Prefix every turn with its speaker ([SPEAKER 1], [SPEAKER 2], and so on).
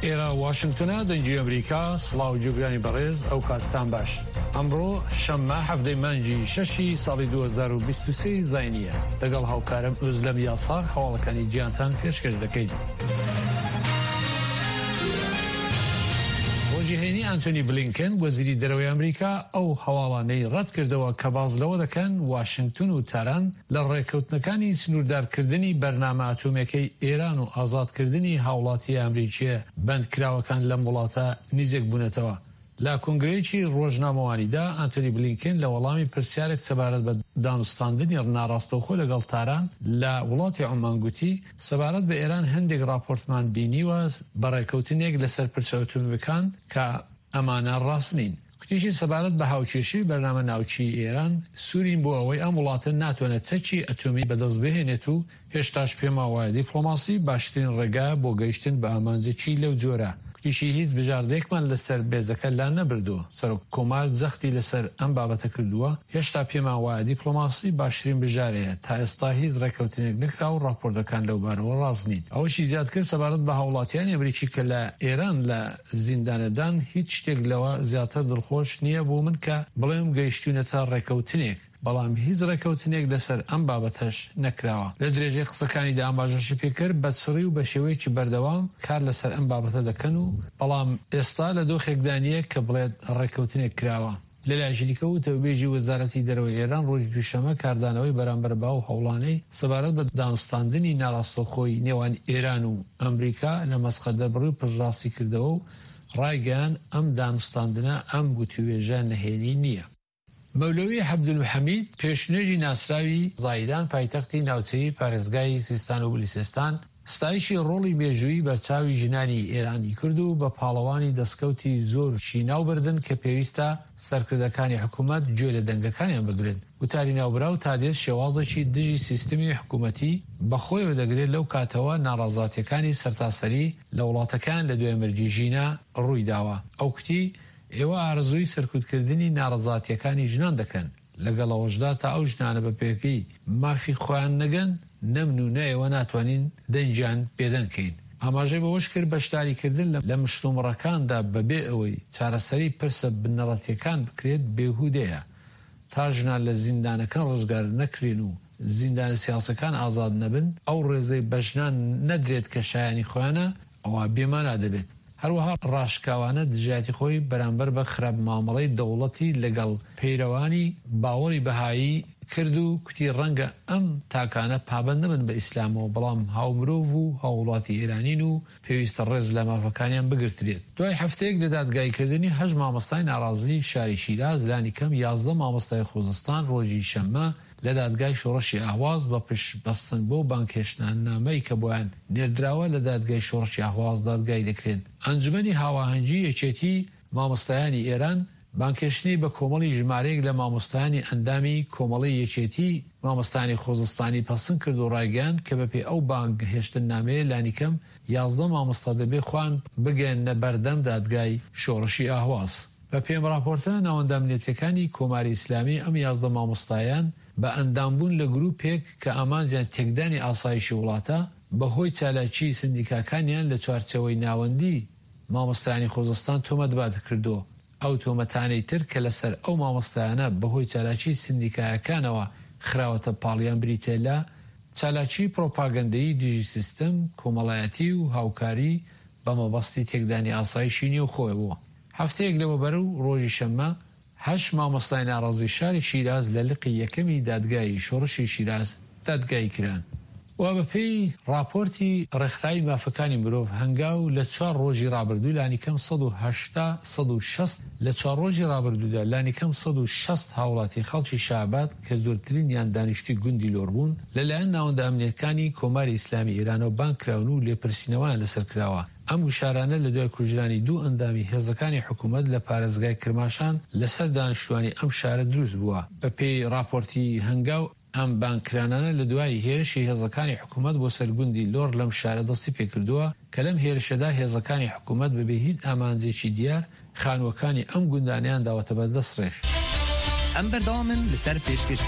[SPEAKER 1] ئێرە واشنگتنە دەنگی ئەمریکا سڵاو گوێگرانی بەڕێز ئەو کاتتان باش ئەمڕۆ شەممە حەڤدەی مانگی شەشی ساڵی 2023 زاینیە لەگەڵ هاوکارم ئۆزلەم یاساغ هەواڵەکانی جیهانتان پێشکەش دەکەین. ڕۆژی هەینی ئانتۆنی بلینکن وەزیری دەرەوەی ئەمریکا ئەو هەواڵانەی ڕەتکردەوە کە باس لەوە دەکەن واشنگتن و تاران لە ڕێککەوتنەکانی سنووردارکردنی بەرنامە ئەتۆمییەکەی ئێران و ئازادکردنی هاوڵاتییە ئەمریکییە بەندکراوەکان لەم وڵاتە نیزک بوونەتەوە. لە کۆنگرەیەکی ڕۆژنامەوانیدا ئانتۆنی بلینکن لە وەڵامی پرسیارێک سەبارەت بە دانوستاندنی ناڕاستەوخۆ لەگەڵ تاران لە وڵاتی عومان گوتی، سەبارەت بە ئێران هەندێک ڕاپۆرتمان بینیوە بە ڕێککەوتنێک لەسەر پرسە ئەتۆمییەکان کە ئەمانە ڕاست نین. گوتیشی سەبارەت بە هاوکێشەی بەرنامە ناوکیی ئێران، سوورین بۆ ئەوەی ئەم وڵاتە ناتوانێت چەکی ئەتۆمی بەدەست بهێنێت و هێشتاش پێمان وایە دیپڵۆماسی باشترین ڕێگایە بۆ گەیشتن بە ئامانجێکی لەو جۆرە. گوتیشی هیچ بژاردەیەکمان لەسەر مێزەکە لا نەبردووە. سەرۆک کۆمار جەختی لەسەر ئەم بابەتە کردووە، هێشتا پێمان وایە دیپڵۆماسی باشترین بژارەیە، تا ئێستا هیچ ڕێککەوتنێک نەکراوە و ڕاپۆرتەکان لەوبارەوە ڕاست نین. ئەوەشی زیاد کرد سەبارەت بە هاووڵاتیانی ئەمریکی کە لە ئێران لە زیندانەدان، هیچ شتێک لەوە زیاتر دڵخۆش نییە بۆ من کە بڵێم گەیشتوینەتە ڕێکەوتنێک، بەڵام هیچ ڕێکەوتنێک لەسەر ئەم بابەتەش نەکراوە. لە درێژەی قسەکانیدا ئاماژەشی پێکرد، بە چڕی و بە شێوەیەکی بەردەوام کار لەسەر ئەم بابەتە دەکەن و بەڵام ئێستا لە دۆخێکدا نییە کە بڵێت ڕێککەوتنێک کراوە. لەلایەکی دیکەوە وتەبێژی وەزارەتی دەرەوەی ئێران ڕۆژی دووشەممە کاردانەوەی بەرامبەر بەو هەوڵانەی سەبارەت بە دانوستاندنی ناڕاستەوخۆی نێوان ئێران و ئەمریکا لە مەسقەت دەربڕی و پشتڕاستی کردەوە و ڕایگەیاند ئەم دانوستاندنە ئەم وتووێژە نهێنی نییە. مەولەوی عەبدولحەمید پێشنوێژی ناسراوی زاهیدان پایتەختی ناوچەیی پارێزگای سیستان و بلوچستان ستایشی ڕۆڵی مێژوویی بەرچاوی ژنانی ئێرانی کرد و بە پاڵەوانی دەسکەوتی زۆرشی ناو بردن کە پێویستە سەرکردەکانی حکوومەت گوێ لە دەنگەکانیان بگرن. وتاری ناوبراو تا دێت شێوازێکی دژی سیستمی حکوومەتی بە خۆیەوە دەگرێت لەو کاتەوە ناڕەزاتییەکانی سەرتاسەری لە وڵاتەکەیان لە دوای مەرگی ژینا ڕووی داوە. ئەو کوتی، ئێوە ئارەزووی سەرکوتکردنی ناڕەزاتییەکانی ژنان دەکەن. لەگەڵ ئەوەشدا تا ئەو ژنانە بە پێگەی مافی خۆیان نەگەن، نە من و نە ئێوە ناتوانین دەنگیان بێدەنگ کەین. ئاماژەی بەوەشکرد، بەشداریکردن لە مشتومڕەکاندا بەبێ ئەوەی چارەسەری پرسە بنەڕەتییەکان بکرێت بێهودەیە، تا ژنان لە زیندانەکان ڕزگار نەکرێن و زیندانە سیاسەکان ئازاد نەبن، ئەو ڕێزەی بە ژنان نەدرێت کە شایانی خۆیانە، ئەوا بێمانا دەبێت. هەروەها ڕاشکاوانە دژایەتی خۆی بەرامبەر بە خراپ مامەڵەی دەوڵەتی لەگەڵ پەیرەوانی باوەڕی بەهایی کرد و کوتی ڕەنگە ئەم تاکانە پابەند نەبن بە ئیسلامەوە بەڵام هاومرۆڤ و هاووڵاتی ئێرانین و پێویستە ڕێز لە مافەکانیان بگرترێت. دوای هەفتەیەک لە دادگاییکردنی هەشت مامۆستای ناڕازیی شاری شیراز لانیکەم 11 مامۆستای خوزستان ڕۆژی شەممە لە دادگای شۆڕشی ئەهواز بە پشت بەستن بەو بانگهێشتنامەی کە بۆیان نێردراوە لە دادگای شۆڕشی ئەهواز دادگایی دەکرێن. ئەنجومەنی هاواهەنگی یەکێتی مامۆستایانی ئێران بانگهێشتنی بە کۆمەڵی ژمارەیەک لە مامۆستایانی ئەندامی کۆمەڵەی یەکێتی مامۆستایانی خوزستانی پەسند کرد و ڕایگەیاند کە بەپێی ئەو بانگهێشتننامەیە لانیکەم 11 مامۆستا دەبێ خۆیان بگەیەننە بەردەم دادگای شۆڕشی ئەهواز. بە پێی ئەم ڕاپۆرتە، ناوەندە ئەمنیەتیەکانی کۆماری ئیسلامی ئەم 11 مامۆستایەیان بە ئەندامبوون لە گرووپێک کە ئامانجیان تێکدانی ئاسایشی وڵاتە، بە هۆی چالاکیی سندیکاکانیان لە چوارچێوەی ناوەندی مامۆستایانی خوزستان تۆمەتبار کردووە. ئەو تۆمەتانەی تر کە لەسەر ئەو مامۆستایانە بە هۆی چالاکیی سندیکایەکانەوە خراوەتە پاڵیان بریتیە لە، چالاکیی پرۆپاگەندەیی دژی سیستم، کۆمەڵایەتی و هاوکاری بە مەبەستی تێکدانی ئاسایشی نێوخۆ بووە. هەفتەیەک لەوەبەر و ڕۆژی شەممە، هەشت مامۆستای ناڕازی شاری شیراز لە لقی یەکەمی دادگای شۆڕشی شیراز دادگایی کران و بەپێی ڕاپۆرتی ڕێکخراوی مافەکانی مرۆڤ هەنگاو لە چوار ڕۆژی ڕابردوو لانیکەم 180 160 لە چوار ڕۆژی ڕابردوودا لانیکەم 160 هاوڵاتی خەڵکی شاباد کە زۆرترینیان دانیشتووی گوندی لۆڕ بوون لەلایەن ناوەندە ئەمنییەکانی کۆماری ئیسلامی ئێرانەوە بانگ کراون و لێپرسینەوەیان لەسەر کراوە. ئەم گوشارانە لە دوای کوژرانی دوو ئەندامی هێزەکانی حکوومەت لە پارێزگای کرماشان لەسەر دانیشتووانی ئەم شارە دروست بووە. بەپێی ڕاپۆرتی هەنگاو، ئەم بانگکرانانە لە دوای هێرشی هێزەکانی حکوومەت بۆ سەر گوندی لۆڕ لەم شارە دەستی پێکردووە کە لەم هێرشەدا هێزەکانی حکوومەت بەبێ هیچ ئامانجێکی دیار خانووەکانی ئەم گوندانەیان داوەتە بەر دەستڕێژ.
[SPEAKER 2] ئەم بەردەوامن لەسەر پێشکەشکردنی.